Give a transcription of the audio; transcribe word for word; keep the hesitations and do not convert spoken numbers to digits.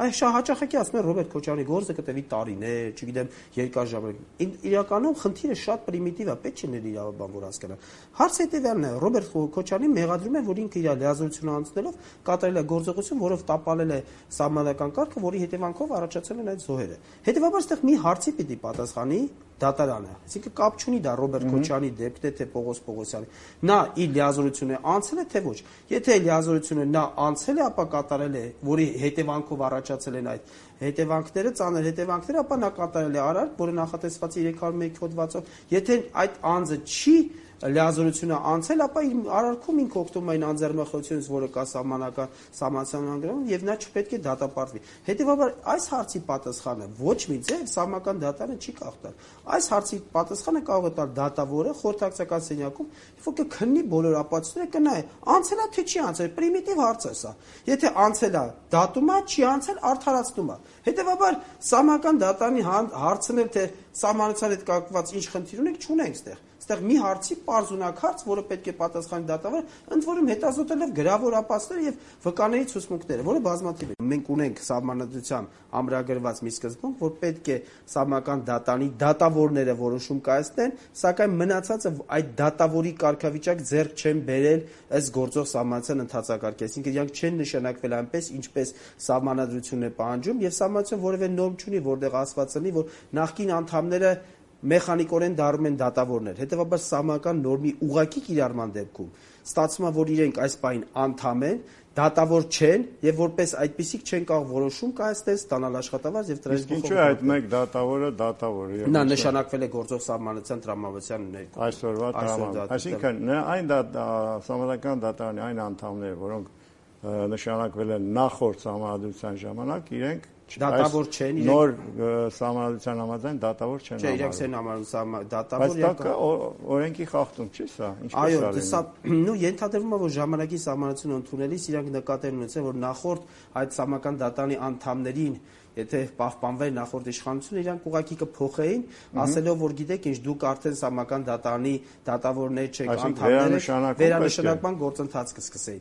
Այ հաճախակի ասում են Ռոբերտ Քոչարյանի գործը կտևի տարիներ, չգիտեմ, երկար ժամանակ։ Իրականում խնդիրը շատ պրիմիտիվ է, պետք չէ իրավաբան որ հասկանա։ Հարցը հետևյալն է, Ռոբերտ Քոչարյանին մեղադրում են, որ ինքը իր լիազորությունը անցնելով կատարել է գործողություն, որով տապալել է սահմանական կարգը, որի հետևանքով առաջացել են այդ զոհերը։ Հետևաբար այստեղ մի հարցի պիտի պատասխանի դատարանը, այսինքն կապ չունի դա Ռոբերտ Քոչարյանի դեպքն է, թե Պողոս Պողոսյանի։ Նա իր լիազորությունը անցել է, թե ոչ։ Եթե լիազորությունը նա անցել է, ապա կատարել է, որի հետևանքով առաջացել են այդ հետևանքները, ծանր հետևանքները, ապա նա կատարել է արարք, որը նախատեսված է երեք հարյուր մեկ հոդվածով։ Եթե այդ անձը չի լիազորությունը անցել, ապա իր արարքում ինքը օգտվում է այն անձեռնախոսությունից, որը կա սահմանական սահմանադրամում, եւ նա չպետք է դատապարտվի։ Հետևաբար այս հարցի պատասխանը ոչ մի ձև սահմանական դատարանը չի կարող տալ։ Այս հարցի պատասխանը կարող է տալ դատավորը խորհրդակցական սենյակում, որ կքննի բոլոր ապացույցները, կնայի անցել է թե չի անցել, պրիմիտիվ հարց է սա։ Եթե անցել է, դատում է, չի անցել, արդարացնում է։ Հետևաբար սահմանական դատարանի հարցնել, թե սահմանության հետ կապված ինչ խնդիր ունենք, չունենք այստեղ։ Այստեղ մի հարցի պարզունակ հարց, որը պետք է պատասխանի դատավորը, ընդ որում հետազոտելով գրավոր ապացույցները եւ վկաների ցուցմունքները, որը բազմաթիվ են։ Մենք ունենք սահմանադրության ամրագրված մի սկզբունք, որ պետք է սահմանական դատարանի դատավորները որոշում կայացնեն, սակայն մնացածը այդ դատավորի կարգավիճակ ձեռք չեն բերել ըստ գործող սահմանության ընթացակարգի, այսինքն իրանք չեն նշանակվել այնպես, ինչպես սահմանադրությունն է պահանջում, եւ սահմանադրությունը որևէ նորմ չունի, որտեղ ասված լինի, որ նախկին անդամները մեխանիկորեն դառնում են դատավորներ։ Հետևաբար սահմանական նորմի ուղղակի կիրառման դեպքում ստացվում է, որ իրենք այս պահին անդամ են, դատավոր չեն եւ որպես այդպիսիք չեն կարող որոշում կայացնել, ստանալ աշխատավարձ եւ տրամադրել։ Ինչու է այդ մեկ դատավորը դատավոր է։ Նա նշանակվել է գործող սահմանության տրամադրության ներքո։ Այսօրվա տրամադրության։ Այսինքն այն սահմանական դատարանի այն անդամները, որոնք նշանակվել են նախորդ սահմանադրության ժամանակ, իրենք դատավոր չեն, նոր սահմանադրության համաձայն դատավոր չեն։ Չէ, իրենք չեն համարում դատավոր։ Բայց դա օրենքի խախտում չի սա։ Այո, սա նու ենթադրվում է, որ ժամանակի սահմանությունը ընդունելիս իրանք նկատել ունեցել, որ նախորդ այդ սահմանական դատարանի անդամներին եթե պահպանվեր նախորդ իշխանությունը, իրանք ուղղակի կփոխեին, ասելով, որ գիտեք ինչ, դուք արդեն սահմանական դատարանի դատավորներ չեք, անդամներ եք, վերանշանակման գործընթաց կսկսեին։